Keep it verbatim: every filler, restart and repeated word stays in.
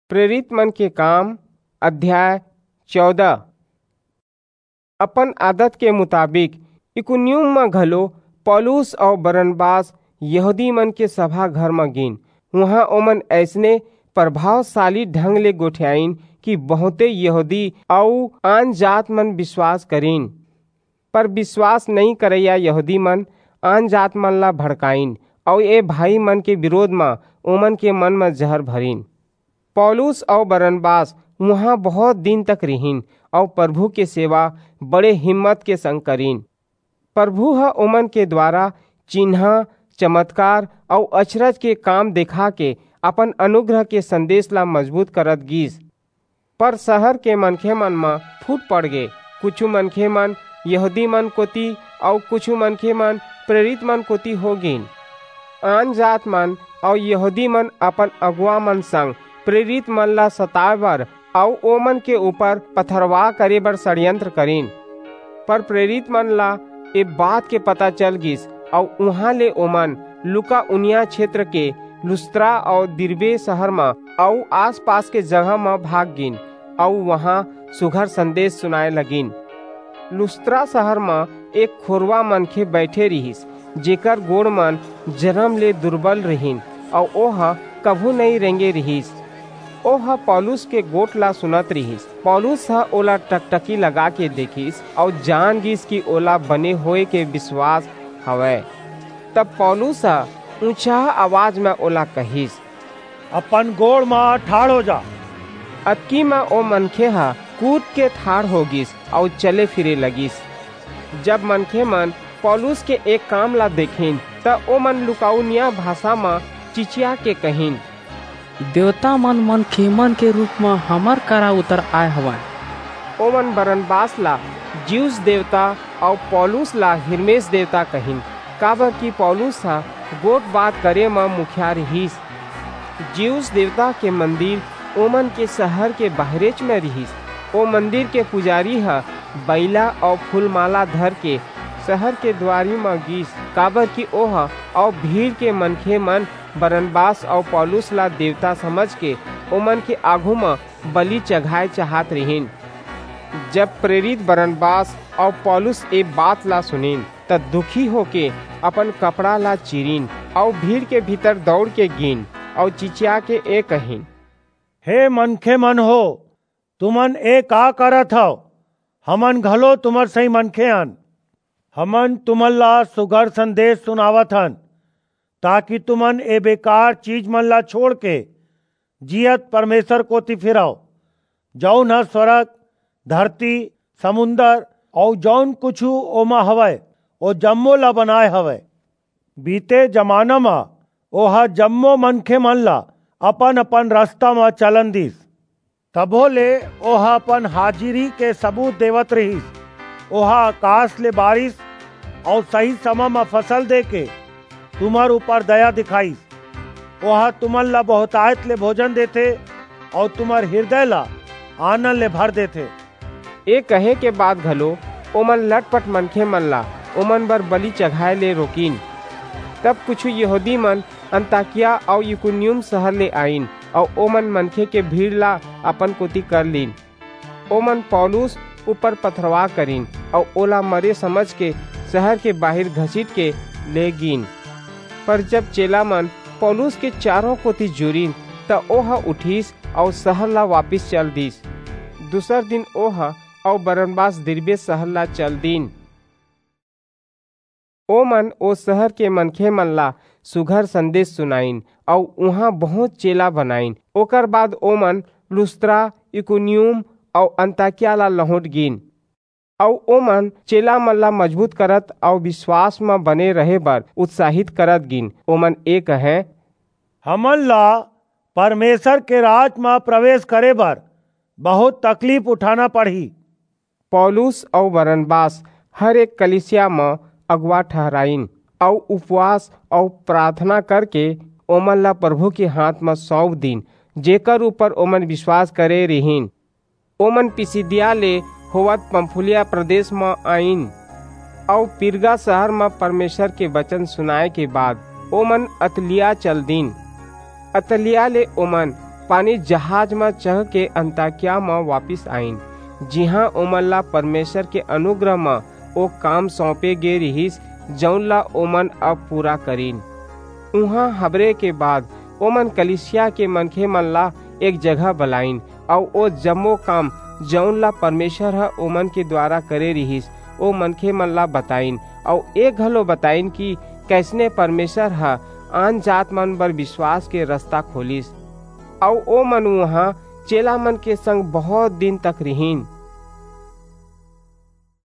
प्रेरित मन के काम, अध्याय चौदह। अपन आदत के मुताबिक इकुनियुम म घलो पौलुस अऊ बरनबास यहूदी मन के सभा घर म गीन। उहां ओमन अइसने प्रभावशाली ढंग ले गोठियाईन कि बहुंते यहूदी अऊ आन जात मन बिसवास करिन। पर बिसवास नइं करइया यहूदी मन आन जात मन ला भड़काईन अऊ ए भाई मन के बिरोध म ओमन के मन म जहर भरिन। पौलुस अऊ बरनबास उहां बहुंत दिन तक रिहिन अऊ परभू के सेवा बड़े हिम्मत के संग करिन। परभू ह ओमन के दुवारा चिन्हां, चमतकार अऊ अचरज के काम देखाके अपन अनुग्रह के संदेस ला मजबूत करत गीस। पर सहर के मनखेमन म फूट पड़गे। कुछू मनखेमन यहूदी मन कोति अऊ कुछू मनखेमन प्रेरित मन कोति हो गीन। आन जात मन अऊ यहूदी मन अपन अगुवा मन संग प्रेरित मन ला सताय बर अऊ ओमन के ऊपर पथरवाह करे बर षड्यंत्र करिन। पर प्रेरित मन ला ए बात के पता चल गीस, अऊ उहां ले ओमन लुकाउनिया छेत्र के लुस्त्रा अऊ दिरबे सहर म अऊ आसपास के जगह म भाग गीन, अऊ उहां सुघर संदेस सुनाय लगिन। लुस्त्रा सहर म एक खोरवा मनखे बईठे रिहिस, जेकर गोड़ मन जनम ले दुरबल रिहिन, अऊ ओह कभू नइं रेंगे रिहिस। ओह पौलुस के गोठ ला सुनत रिहिस। पौलुस ह ओला टकटकी लगाके देखिस अऊ जान गीस कि ओला बने होय के बिसवास हवय। तब पौलुस ह ऊंचहा अवाज म ओला कहिस, "अपन गोड़ म ठाढ़ हो जा।" अतकी म ओ मनखे ह कूदके ठाढ़ हो गीस अऊ चले फिरे लगिस। जब मनखेमन पौलुस के ए काम ला देखिन, त ओमन लुकाउनिया भासा म चिचियाके कहिन, "देवता मन मनखेमन के रूप म हमर करा उतर आय हवंय।" ओमन बरनबास ला ज्यूस देवता अऊ पौलुस ला हिरमेस देवता कहिन, काबरकि पौलुस ह गोठ बात करे म मुखिया रिहिस। ज्यूस देवता के मंदिर ओमन के सहर के बाहिरेच म रिहिस। ओ मंदिर के पुजारी ह बईला अऊ फूलमाला धरके सहर के दुवारी म गीस, काबरकि ओह अऊ भीड़ के मनखेमन बरनबास अऊ पौलुस ला देवता समझके ओमन के आघू म बलि चघाय चाहत रिहिन। जब प्रेरित बरनबास अऊ पौलुस ए बात ला सुनिन, त दुखी होके अपन कपड़ा ला चीरिन अऊ भीड़ के भीतर दऊड़के गीन अऊ चिचियाके ए कहिन, "हे मनखेमन हो, तुमन ए का करत हव? हमन घलो तुम्हर सहीं मनखे हन। हमन तुमन ला सुघर संदेस सुनावत हन, ताकि तुमन ए बेकार चीजमन ला छोंड़के जीयत परमेसर कोति फिरव, जऊन ह स्वरग, धरती, समुंदर अऊ जऊन कुछू ओमा हवय, ओ जम्मो ला बनाय हवय। बीते जमाना म ओह जम्मो मनखेमन ला अपन-अपन रसता म चलन दीस। तभो ले ओह अपन हाजिरी के सबूत देवत रिहिस। ओह अकास ले बारिस अऊ सही समे म फसल देके तुम्हर ऊपर दया दिखाईस। ओह तुमन ला बहुंतायत ले भोजन देथे अऊ तुम्हर हिरदय ला आनंद ले भर देथे।" ए कहे के बाद घलो ओमन लटपट मनखेमन ला ओमन बर बलि चघाय ले रोकिन। तब कुछू यहूदी मन अंताकिया अऊ इकुनियुम सहर ले आईन अऊ ओमन मनखे के भीड़ ला अपन कोति कर लीन। ओमन पौलुस ऊपर पथरवाह करिन अऊ ओला मरे समझके सहर के बाहिर घसीटके ले गीन। पर जब चेलामन पौलुस के चारों कोति जुरिन, त ओह उठिस अऊ सहर ला वापिस चल दीस। दूसर दिन ओह अऊ बरनबास दिरबे सहर ला चल दीन। ओमन ओ सहर के मनखेमन ला सुघर संदेस सुनाईन अऊ उहां बहुंत चेला बनाईन। ओकर बाद ओमन लुस्त्रा, इकुनियुम अऊ अंताकिया ला लहुंट गीन। अऊ ओमन चेलामन ला मजबूत करत अऊ बिसवास म बने रहे बर उत्साहित करत गीन। ओमन ए कहें, "हमन ला परमेसर के राज म प्रबेस करे बर बहुंत तकलीफ उठाना पड़ही।" पौलुस अऊ बरनबास हर एक कलीसिया म अगुवा ठहराईन अऊ उपवास अऊ पराथना करके ओमन ला परभू के हांथ म सऊंप दीन, जेकर ऊपर ओमन बिसवास करे रिहिन। ओमन पिसिदिया ले होवत पंफूलिया प्रदेस म आईन अऊ पिरगा सहर म परमेसर के बचन सुनाय के बाद ओमन अतलिया चल दीन। अतलिया ले ओमन पानी जहाज म चढ़ के अंताकिया म वापिस आइन, जिहां ओमन ला परमेसर के अनुग्रह म ओ काम सौंपे गे रिहिस, जऊन ला ओमन अब पूरा करिन। उहां हबरे के बाद ओमन कलीसिया के मनखेमन ला एक जगह बलाईन अऊ ओ जम्मो काम, जऊन ला परमेसर ह ओमन के दुवारा करे रिहिस, ओ मनखेमन ला बताईन अऊ ए घलो बताईन कि कइसने परमेसर ह आनजातमन बर बिसवास के रसता खोलिस। अऊ ओमन उहां चेलामन के संग बहुंत दिन तक रिहिन।